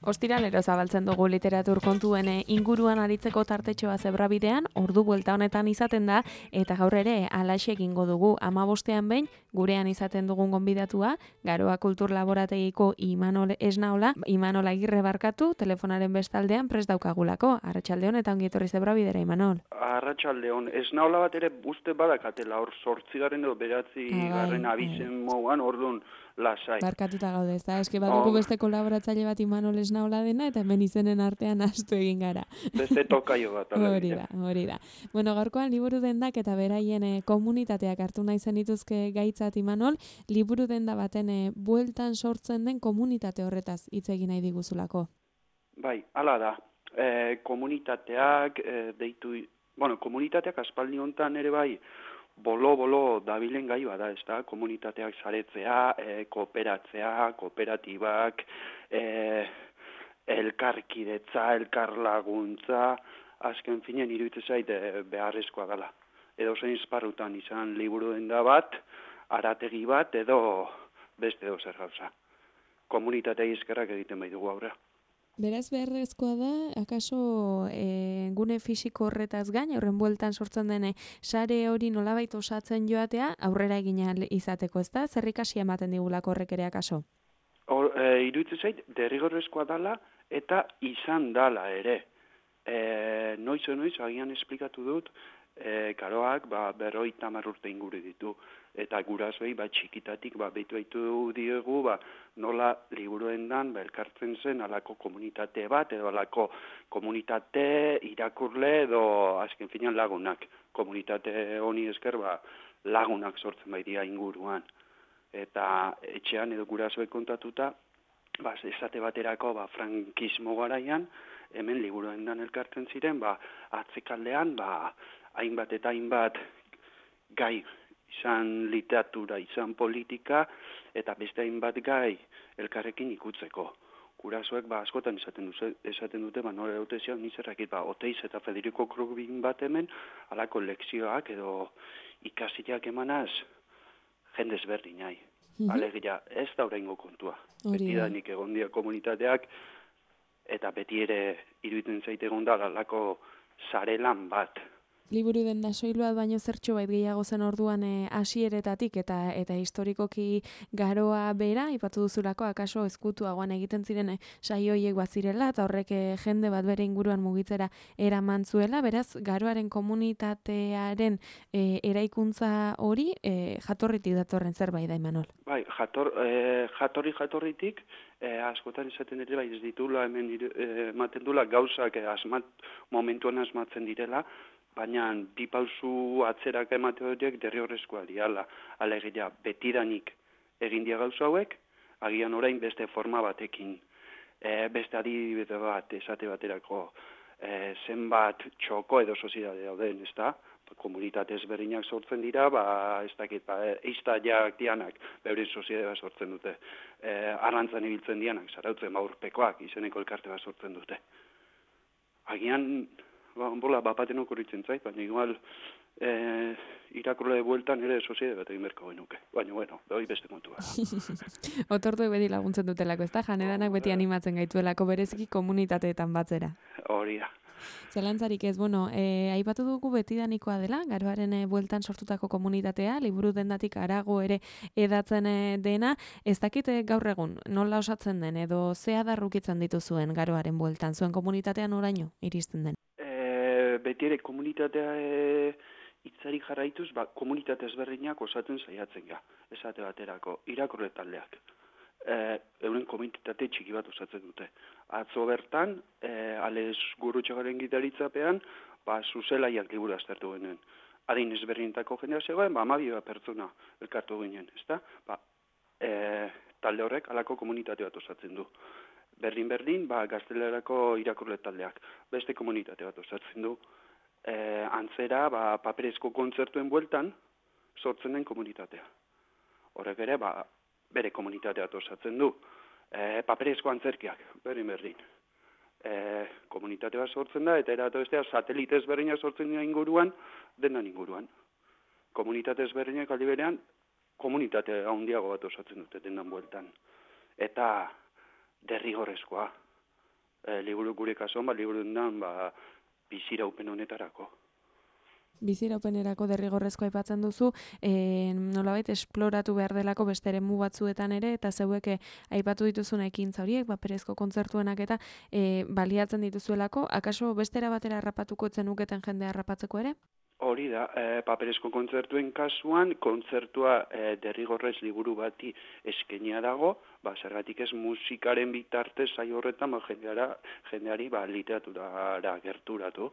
Ostiralero zabaltzen dugu literatur kontuen inguruan aritzeko tartetxoa zebrabidean, ordu buelta honetan izaten da, eta gaur ere alaxe egingo dugu 15ean behin, gurean izaten dugun gonbidatua, Garoa Kultur Laborategiko Imanol Esnaola, Imanol Agirre barkatu, telefonaren bestaldean prest daukagulako. Arratsaldeon eta ongi etorri zebrabidera, Imanol. Arratsaldeon, Esnaola bat ere uste badakatela, hor 8. edo 9. abizen moduan, orduan lasai. Barkatuta gaude, ez da? Eske badugu beste kolaboratzaile bat Imanol Esnaola dena, eta hemen izenen artean astu egin gara. Beste tokaio bat. Hori da. Bueno, gaurkoan liburu dendak eta beraien komunitateak hartu nahi zen dituzke gaitzat, Imanol, liburu denda baten bueltan sortzen den komunitate horretaz hitz egin nahi diguzulako. Bai, hala da. Komunitateak komunitateak aspaldi hontan ere bai, bolo dabilen gai bada, ez da, komunitateak saretzea, kooperatzea, kooperatibak, elkarkidetza, elkarlaguntza, azken finen iruditzen zait beharrezkoa dela. Edo zein esparrutan izan liburu denda bat, arategi bat, edo beste edo zer gauza. Komunitatea eskerrak egiten bai dugu aurrea. Beraz beharrezkoa da, akaso gune fisiko horretaz gain, horren bueltan sortzen den sare hori nolabait osatzen joatea, aurrera egin izateko, ez da? Zer ikasi ematen digulako horrek ere akaso? Iruditzen zait, derrigorrezkoa dala eta izan dala ere. Noiz, agian esplikatu dut, Garoak 50 urte inguru ditu, eta gurasoei txikitatik behitu diegu nola liburuendan elkartzen zen alako komunitate bat, edo alako komunitate irakurle edo azken finean lagunak. Komunitate honi esker lagunak sortzen dira inguruan. Eta etxean edo gurasoek kontatuta, esate baterako frankismo garaian, hemen liburuendan elkartzen ziren, atzekaldean, hainbat eta hainbat gai, izan literatura, izan politika, eta beste hainbat gai elkarrekin ikutzeko. Gurasoek askotan esaten dute, nore dute zian nizerrakit, Oteiz eta Federico Krugin bat hemen, alako lekzioak edo ikasiak emanaz, jendez berdin nahi. Alegia, ez da oraingo kontua. Beti da nik egon dira komunitateak, eta beti ere iruditzen zaite egon da alako sarelan bat. Liburu denda soil bat baino zertxo bait gehiago zen orduan hasieretatik eta historikoki Garoa bera, ipatu duzulako akaso ezkutuagoan egiten ziren saio horiek bazirela, eta horrek jende bat bere inguruan mugitzera eraman zuela, beraz Garoaren komunitatearen eraikuntza hori jatorritik datorren zerbait da, Imanol? Bai, jatorritik, askotan esaten ere ez ditula hemen ematen dula gauzak momentuan asmatzen direla, baina bi pausu atzerak emate horiek derrigorrezkoa diala. Alegia, betidanik egin dia gauza hauek, agian orain beste forma batekin. Beste adibide bat, esate baterako, zenbat txoko edo soziedade dauden, ez da? Komunitate ezberdinak sortzen dira, eiztaiak dianak, beure soziedade sortzen dute. Arrantzan ibiltzen dianak, zarautzen urpekoak, izeneko elkarte bat sortzen dute. Agian, bapaten okurritzen zait, baina igual irakurle bueltan ere soziedade bat egin berko genuke. Baina, hori beste kontua. Otortuek beti laguntzen dutelako, ez da? Janedanak beti animatzen gaituelako bereziki komunitateetan batzera. Hori da. Zelantzarik ez, aipatu dugu betidanikoa dela, Garoaren bueltan sortutako komunitatea, liburu dendatik harago ere edatzen dena, ez dakit gaur egun, nola osatzen den, edo ze adarrukitzen dituzuen Garoaren bueltan, zuen komunitatean oraino iristen den? Beti ere komunitatea hitzari jarraituz, komunitate ezberdinak osatzen saiatzen ga, esate baterako, irakurle taldeak. Euren komunitate txiki bat osatzen dute. Atzo bertan, Ales Gurutxagaren gitaritzapean, zuzelaiak liburu aztertu genen. Adin ezberdinetako jendea zegoen, 12 pertsona elkartu ginen, ezta? Talde horrek alako komunitate bat osatzen du. Berdin, gaztelerako irakurle taldeak. Beste komunitate bat osatzen du. Antzera, paperezko kontzertuen bueltan, sortzen den komunitatea. Horrek ere, bere komunitatea bat osatzen du. Paperezko antzerkiak, berdin. Komunitate bat sortzen da, eta eratu bestea, satelite ezberdinak sortzen dira inguruan, denan inguruan. Komunitate ezberdinak aldi berean, komunitate handiago bat osatzen dute denan bueltan. Eta derrigorrezkoa. liburu gure kasuan, liburu dendan, biziraupen honetarako. Biziraupenerako derrigorrezko aipatzen duzu, nolabait esploratu behar delako beste eremu batzuetan ere, eta zeuek aipatu dituzun ekintza horiek, perezko kontzertuenak eta baliatzen dituzuelako, akaso bestera batera harrapatuko zenuketen jendea harrapatzeko ere? Hori da, paperezko kontzertuen kasuan, kontzertua derrigorrez liburu bati eskenia dago, zergatik ez musikaren bitartez saio horretan jendeari literaturara gerturatu.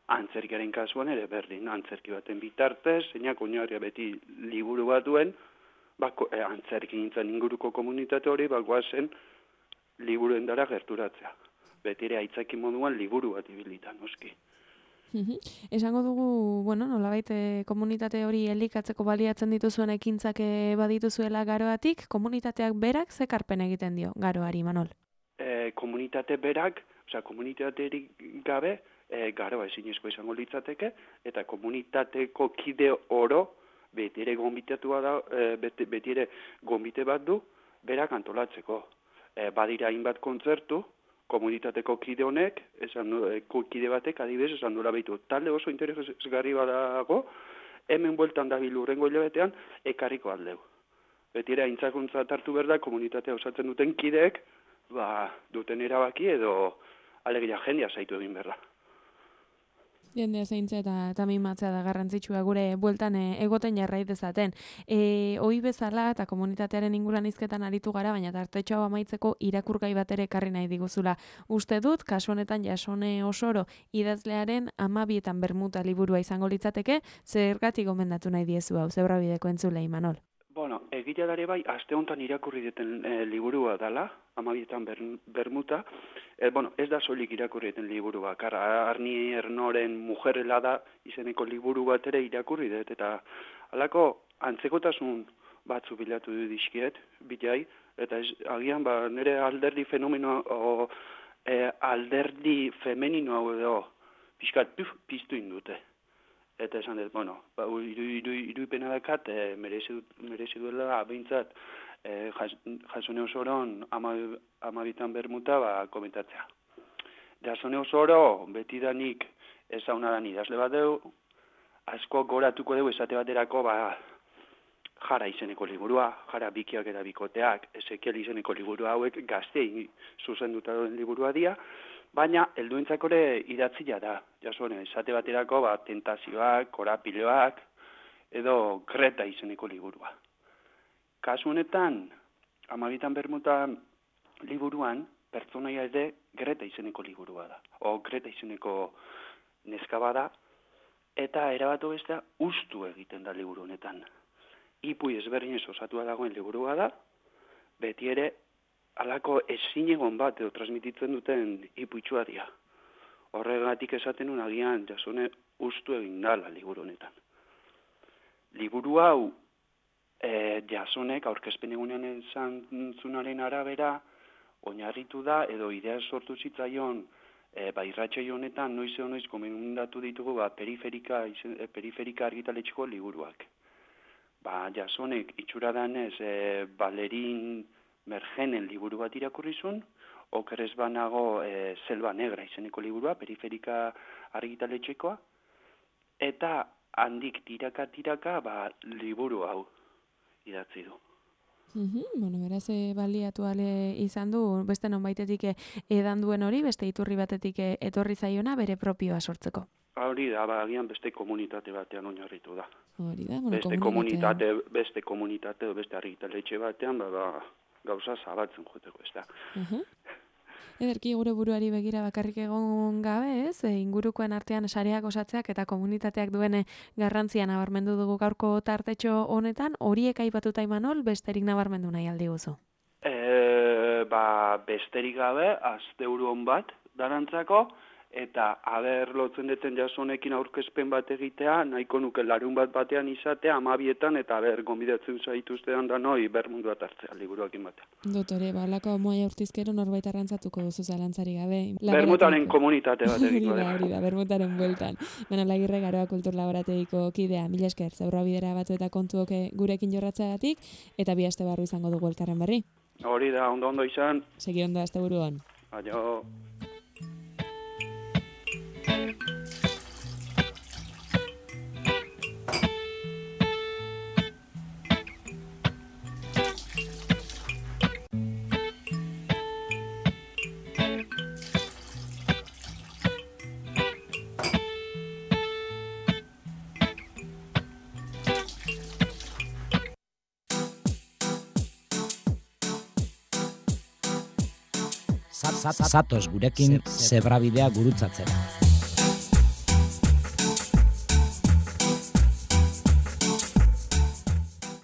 Antzerkiaren kasuan ere berdin, antzerki baten bitartez, zeinak oinarria beti liburu batuen, antzerki nintzen inguruko komunitate hori, goazen liburuen dara gerturatzea. Beti ere aitzaki moduan liburu bat ibilitan, noski. Esango dugu, nolabait komunitate hori elikatzeko baliatzen dituzuen ekintzak badituzuela Garoatik, komunitateak berak zekarpen egiten dio Garoari, Manol? Komunitate berak, komunitaterik gabe, Garoa ezinezko izango litzateke, eta komunitateko kide oro, beti ere gonbite bat du, berak antolatzeko. Badira hainbat kontzertu, komunitateko kide honek, kide batek adibidez esan duela behitu. Talde oso interesgarri badago, hemen bueltan dabil urrengo hilabetean, ekarriko aldeu. Beti ere aintzakuntza hartu behar da, komunitatea osatzen duten kideek, duten erabaki edo alegia jendea zaitu egin behar da. Jendea zeintza eta mimatzea da garrantzitsua gure bueltan egoten jarrai dezaten. Ohi bezala eta komunitatearen inguruan hizketan aritu gara, baina tartetxo hau amaitzeko irakurgai bat ere ekarri nahi diguzula. Uste dut, kasu honetan Jasone Osoro idazlearen 12 bermuta liburua izango litzateke, zergatik gomendatu nahi diezu hau, Zebrabideko entzulei, Manol? Egia dare aste honetan irakurri duten liburua dela, 12 bermuta. Ez da soilik irakurri duten liburu bakarra. Arni Ernoren Mujerrela da izeneko liburu bat ere irakurri dut, eta halako antzekotasun batzu bilatu du dizkiet, bilai, eta agian nire alderdi fenomeno, alderdi femenino hau edo, pixkat piztu indute. Eta esan dut, iruipena dakat, merezi duela, behintzat, Jasone Osoron 12 bermuta komentatzea. Jasone Osoro, betidanik ezaunadan idazle bat deu, asko goratuko dugu esate baterako, Jara izeneko liburua, Jara bikiak eta bikoteak, Ezekiel izeneko liburua hauek gaztei zuzenduta duen liburua dira, baina helduentzako ere idatzia da. Jasone, esate baterako, tentazioak, korapiloak, edo Greta izeneko liburua. Kasu honetan, 12 bermuta liburuan, pertsonaia ere Greta izeneko liburua da. Greta izeneko neska bada, eta erabatu bestea ustu egiten da liburu honetan. Ipui ezberdinez osatua dagoen liburua da, beti ere halako ezinegon bat edo transmititzen duten ipuitsua dira. Horregatik esaten nun agian Jasone ustu egin dala liburu honetan. Liburu hau Jasonek aurkezpen egunean esan zunaren arabera oinarritu da edo idea sortu zitzaion irratsaio honetan noiz komendatu ditugu periferika argitaletxeko liburuak. Jasonek itxura danez Balerin Mergenen liburu bat irakurrizun, okerrez banago Selva Negra izeneko liburua, periferika argitaletxekoa, eta handik tiraka liburu hau idatzi du. Beraz, baliatu ale izan du, beste nonbaitetik edan duen hori, beste iturri batetik etorri zaiona, bere propioa sortzeko. Hori da, agian beste komunitate batean oinarritu da. Hori da, beste komunitate, beste argitaletxe batean, gauza zabaltzen joteko, ez da. Ederki gure buruari begira bakarrik egon gabe, ez? Ingurukoen artean sareak osatzeak eta komunitateak duen garrantzia nabarmendu dugu gaurko tartetxo honetan, horiek aipatuta Imanol, besterik nabarmendu nahi aldi guzu? Besterik gabe, asteburu on bat darantzako, eta lotzen deten Jasonekin aurkezpen bat egitea, nahiko nuke larun batean izatea, 12etan, eta gonbidatzen zaituztean da noi bermundu bat hartzea, liburuakin batean. Dotore, balako moia urtizkero norbait arrantzatuko duzu zalantzari gabe. Bermutaren komunitate bat egiko da. Hori da, bermutaren bueltan. Agirre Garoa Kultur Laborategiko kidea, mila esker, Zebrabidera batu eta kontuok gurekin jorratzeagatik, eta bi aste barru izango dugu elkarren berri. Hori da, ondo izan. Segi ondo, asteburuan. Aio. Zatoz gurekin zebrabidea gurutzatzera.